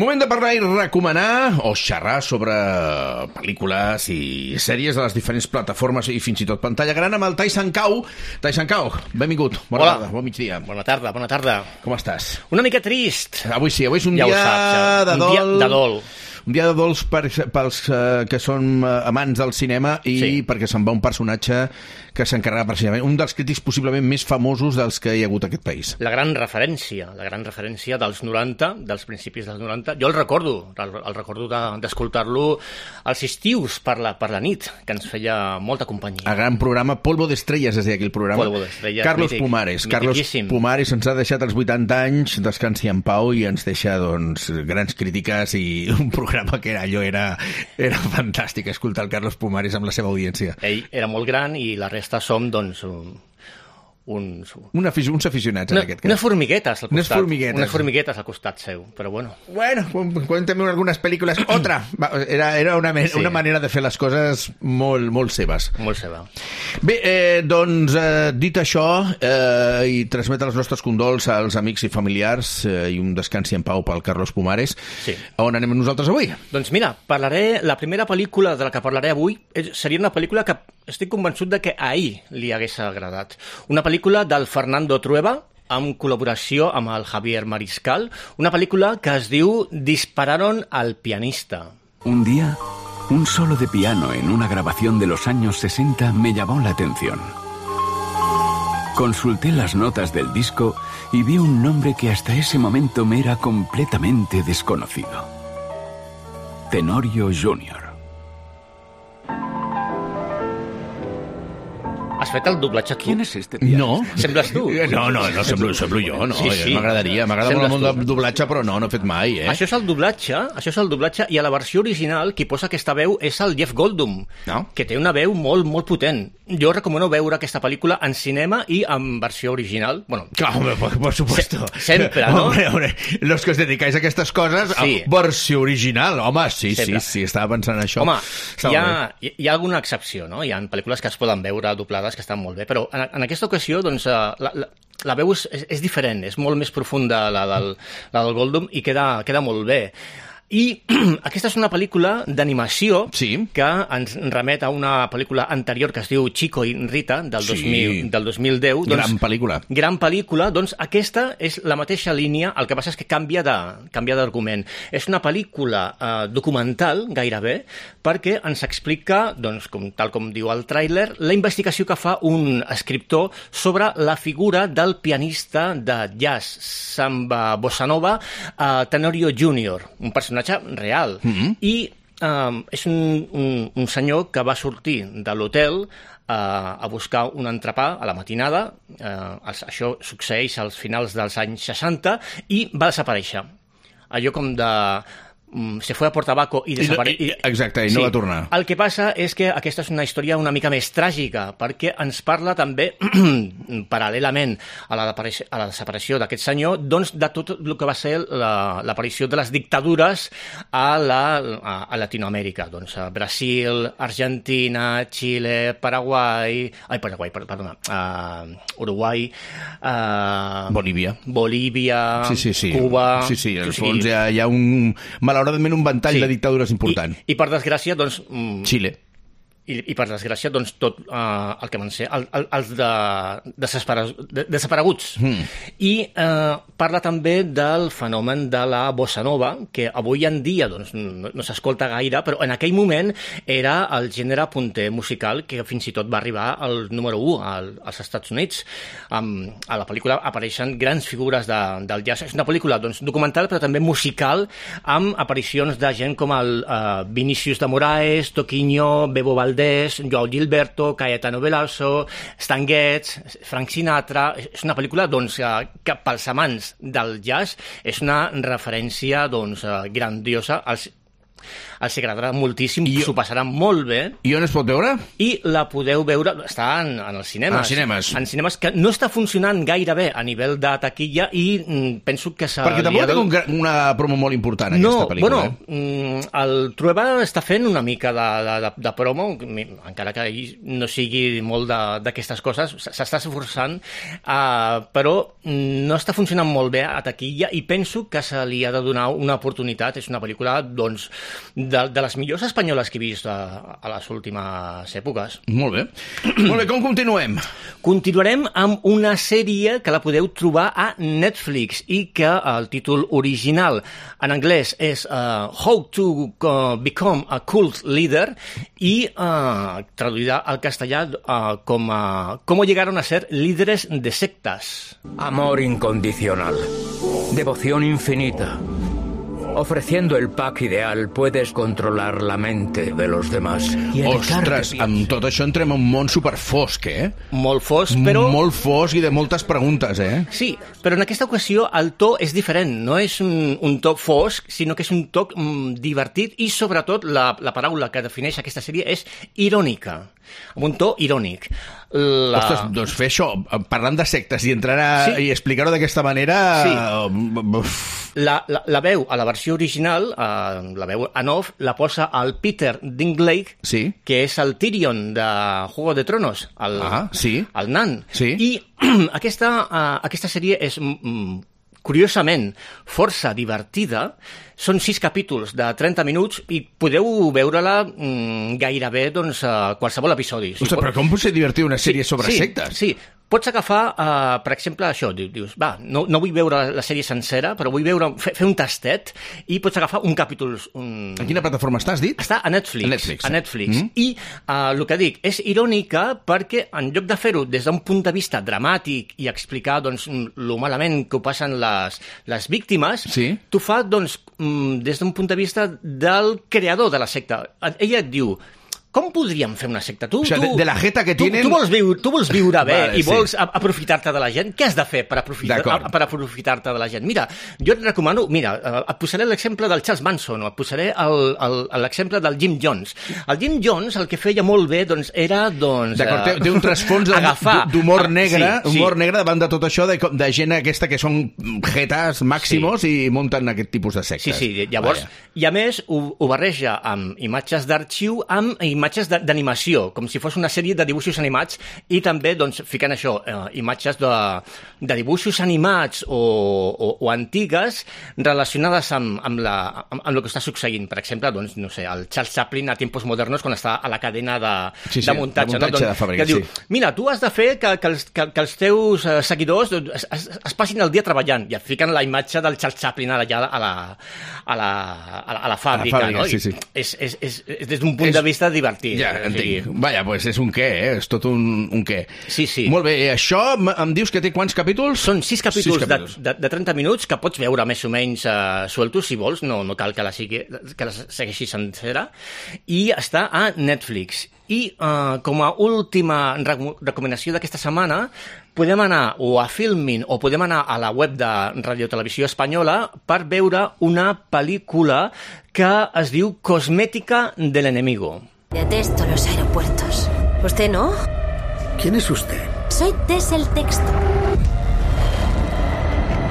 Moment de parlar i recomanar o xerrar sobre pel·lícules i sèries de les diferents plataformes i fins i tot pantalla gran amb el Tyson Cau. Tyson Cau, benvingut. Bona tarda, bon migdia. Bona tarda. Com estàs? Una mica trist. Avui sí, avui és un ja dia de dol. Un dia de dol. Un dia de dols pels que són amants del cinema i perquè se'n va un personatge que s'encarrega precisament, un dels crítics possiblement més famosos dels que hi ha hagut a aquest país. La gran referència dels 90, dels principis dels 90. Jo el recordo d'escoltar-lo als estius per la nit, que ens feia molta companyia. El gran programa Polvo de Estrellas, es deia aquell programa. Polvo de Estrellas, Carlos mític, Pumares. mitiquíssim. Carlos Pumares ens ha deixat als 80 anys, descansi en pau, i ens deixa doncs, grans crítiques i un programa que era fantàstic escoltar el Carlos Pumares amb la seva audiència. Ell era molt gran i la resta som, doncs, uns aficionats, en aquest cas. Unes formiguetes al costat. Unes formiguetes al costat seu, però bueno. Bueno, cuéntame algunas películas. Otra. Era una manera de fer les coses molt seves. Molt seva. Bé, doncs, dit això, i transmetre els nostres condols als amics i familiars i un descansi en pau pel Carlos Pumares. Sí. On anem nosaltres avui? Doncs mira, la primera pel·lícula de la que parlaré avui seria una pel·lícula que estic convençut de que ahir li hagués agradat. Una pel·lícula del Fernando Trueba, amb col·laboració amb el Javier Mariscal, una pel·lícula que es diu Dispararon al pianista. Un día, un solo de piano en una grabación de los años 60 me llamó la atención. Consulté las notas del disco y vi un nombre que hasta ese momento me era completamente desconocido. Tenorio Jr. Has fet el doblatge tu? ¿Quién es este pianista? No. Sembles tu? No, semblo jo, no. Sí. M'agrada molt el món del doblatge, però no he fet mai, Això és el doblatge, i a la versió original qui posa aquesta veu és el Jeff Goldblum, que té una veu molt, molt potent. Jo recomano veure aquesta pel·lícula en cinema i en versió original. Bueno, claro, por supuesto. Sempre, ¿no? Hombre, los que os dedicáis a aquestes coses, sí. Versió original, home, sí, estava pensant això. Home, hi ha alguna excepció, no? Hi ha pel·lícules que es poden veure doblades que estan molt bé, però en aquesta ocasió doncs, la veu és diferent, és molt més profunda la del Goldblum i queda molt bé. I aquesta és una pel·lícula d'animació que ens remet a una pel·lícula anterior que es diu Chico i Rita, del 2010. Gran pel·lícula. Doncs aquesta és la mateixa línia, el que passa és que canvia d'argument. És una pel·lícula documental, gairebé, perquè ens explica, doncs, tal com diu el tràiler, la investigació que fa un escriptor sobre la figura del pianista de jazz, samba, bossa nova, Tenorio Jr., un personatge real. I és un senyor que va sortir de l'hotel a buscar un entrepà a la matinada. Això succeeix als finals dels anys 60 i va desaparèixer. Allò com de... se fue a por tabaco i desapareció. Exacte, i no va tornar. El que passa és que aquesta és una història una mica més tràgica, perquè ens parla també, paral·lelament a la desaparició d'aquest senyor, doncs de tot el que va ser l'aparició de les dictadures a Latinoamèrica. Doncs a Brasil, Argentina, Xile, Uruguai, Bolívia, Cuba... Sí, al fons hi ha malauradament un ventall de dictadures important. I per desgràcia, doncs... Xile. I per desgràcia, doncs, tot el que van ser els desapareguts. I parla també del fenomen de la bossa nova, que avui en dia doncs, no s'escolta gaire, però en aquell moment era el gènere punter musical que fins i tot va arribar al número 1 als Estats Units. A la pel·lícula apareixen grans figures del jazz. És una pel·lícula doncs, documental, però també musical, amb aparicions de gent com el Vinícius de Moraes, Toquinho, Bebo Valdés, Joao Gilberto, Caetano Veloso, Stan Getz, Frank Sinatra. És una pel·lícula doncs, que pels amants del jazz és una referència doncs, grandiosa els agradarà moltíssim, s'ho passaran molt bé. I on es pot veure? I la podeu veure, està en els cinemes. En cinemes que no està funcionant gaire bé a nivell de taquilla i penso que perquè tampoc té una promo molt important, aquesta pel·lícula. El Trueba està fent una mica de promo, encara que no sigui molt d'aquestes coses, s'està esforçant, però no està funcionant molt bé a taquilla i penso que se li ha de donar una oportunitat. És una pel·lícula, doncs, de les millors espanyoles que he vist a les últimes èpoques. Molt bé. Molt bé, com continuem? Continuarem amb una sèrie que la podeu trobar a Netflix i que el títol original en anglès és How to Become a Cult Leader i traduïda al castellà com Cómo llegaron a ser líderes de sectas. Amor incondicional. Devoción infinita. Ofreciendo el pack ideal puedes controlar la mente de los demás. Ostres, amb tot això entrem en un món superfosc, Molt fosc, però... Molt fosc i de moltes preguntes, Sí, però en aquesta ocasió el to és diferent. No és un to fosc, sinó que és un to divertit i, sobretot, la paraula que defineix aquesta sèrie és irònica, amb un to irònic. Ostres, doncs fer això, parlant de sectes i entrar i explicar-ho d'aquesta manera... Sí. La veu a la versió original, la veu en off, la posa el Peter Dinklage, que és el Tyrion de Juego de Tronos, el nan. Sí. I aquesta sèrie és, curiosament, força divertida. Són 6 capítols de 30 minuts i podeu veure-la gairebé qualsevol episodi. Ostres, però com pot ser divertida una sèrie sobre sectes? Sí, pots agafar, per exemple, això, dius, no vull veure la sèrie sencera, però vull fer un tastet i pots agafar un capítol... A quina plataforma has dit? Està a Netflix. I el que dic, és irònica perquè en lloc de fer-ho des d'un punt de vista dramàtic i explicar lo malament que ho passen les víctimes, t'ho fa des d'un punt de vista del creador de la secta. Ella et diu... Com podríem fer una secta? O sigui, de la jeta que tienen... Tu vols viure bé i vols aprofitar-te de la gent? Què has de fer per aprofitar-te de la gent? Mira, jo et recomano... Mira, et posaré l'exemple del Charles Manson o et posaré l'exemple del Jim Jones. El Jim Jones el que feia molt bé era... D'acord, té un trasfons d'humor negre, negre davant de tot això, de gent aquesta que són jetas màximos i munten aquest tipus de sectes. Sí, llavors... I a més, ho barreja amb imatges d'arxiu, amb imatges d'animació, com si fos una sèrie de dibuixos animats i també, ficant això, imatges de dibuixos animats o antigues relacionades amb el que està succeint. Per exemple, no sé, el Charles Chaplin a tiempos modernos quan està a la cadena de muntatge. De fàbrica, que diu, mira, tu has de fer que els teus seguidors es passin el dia treballant i et fiquen la imatge del Charles Chaplin allà a la fàbrica, no? Sí. És des d'un punt de vista divertit. Ja, entenc. Vaja, doncs és un què, és tot un què. Sí. Molt bé, això em dius que té quants capítols? Són 6 capítols de 30 minuts que pots veure més o menys sueltos, si vols, no cal que la segueixi sencera, i està a Netflix. I com a última recomanació d'aquesta setmana, podem anar o a Filmin o podem anar a la web de Radio Televisió Espanyola per veure una pel·lícula que es diu Cosmética del enemigo. Detesto los aeropuertos. ¿Usted no? ¿Quién es usted? Soy Tess el Texto.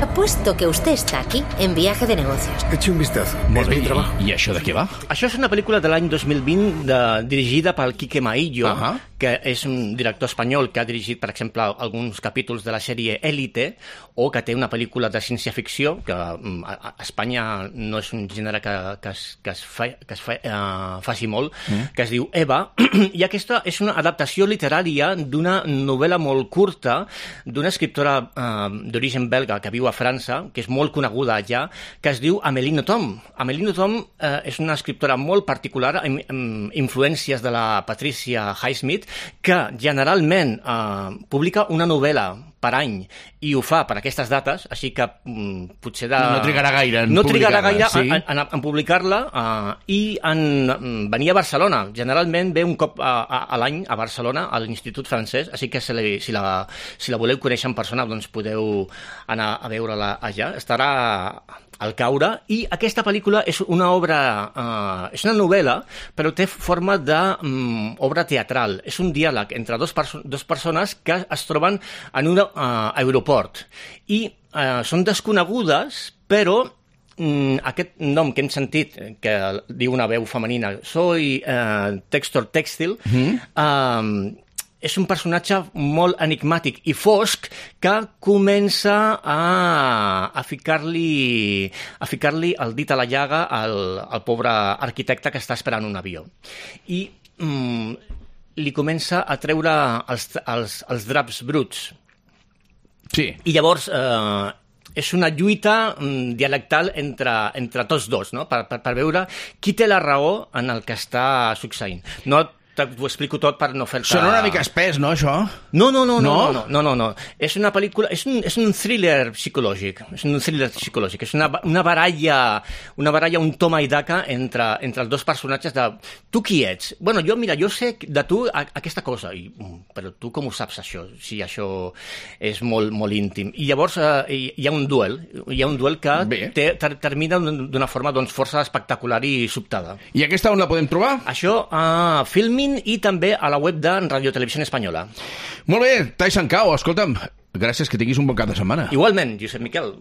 Apuesto que usted está aquí en viaje de negocios. Eche un vistazo. Molt bé, i això de què va? Això és una pel·lícula de l'any 2020 dirigida pel Quique Maillo, que és un director espanyol que ha dirigit, per exemple, alguns capítols de la sèrie Élite, o que té una pel·lícula de ciència-ficció, que a Espanya no és un gènere que es faci molt, que es diu Eva, i aquesta és una adaptació literària d'una novel·la molt curta d'una escriptora d'origen belga que viu a França, que és molt coneguda allà, que es diu Amélie Nothomb. Amélie Nothomb és una escriptora molt particular, amb influències de la Patricia Highsmith, que generalment publica una novel·la per any i ho fa per aquestes dates, així que potser no trigarà gaire en no trigarà gaire sí. en publicar-la i en venir a Barcelona. Generalment ve un cop a l'any a Barcelona, a l'Institut Francès, així que si la voleu conèixer en persona, doncs podeu anar a veure-la allà. Estarà al Caure, i aquesta pel·lícula és una obra, és una novel·la, però té forma d'obra teatral. És un diàleg entre dos persones que es troben en un aeroport i són desconegudes, però aquest nom que hem sentit, que diu una veu femenina, soy Textor Textil, és un personatge molt enigmàtic i fosc que comença a ficar-li el dit a la llaga al pobre arquitecte que està esperant un avió. I li comença a treure els draps bruts. Sí. I llavors és una lluita dialectal entre tots dos, no? Per veure qui té la raó en el que està succeint. No t'ho explico tot per no fer-te... Sona una mica espès, no, això? No. És una pel·lícula... És un thriller psicològic. És un thriller psicològic. És una baralla, un toma i daca entre els dos personatges de... Tu qui ets? Bueno, jo sé de tu aquesta cosa. Però tu com ho saps, això? Si això és molt, molt íntim. I llavors hi ha un duel. Hi ha un duel que termina d'una forma doncs, força espectacular i sobtada. I aquesta on la podem trobar? Això a Filmin i també a la web de Radio Televisió Espanyola. Molt bé, Tai Sancao, escolta'm, gràcies, que tinguis un bon cap de setmana. Igualment, Josep Miquel.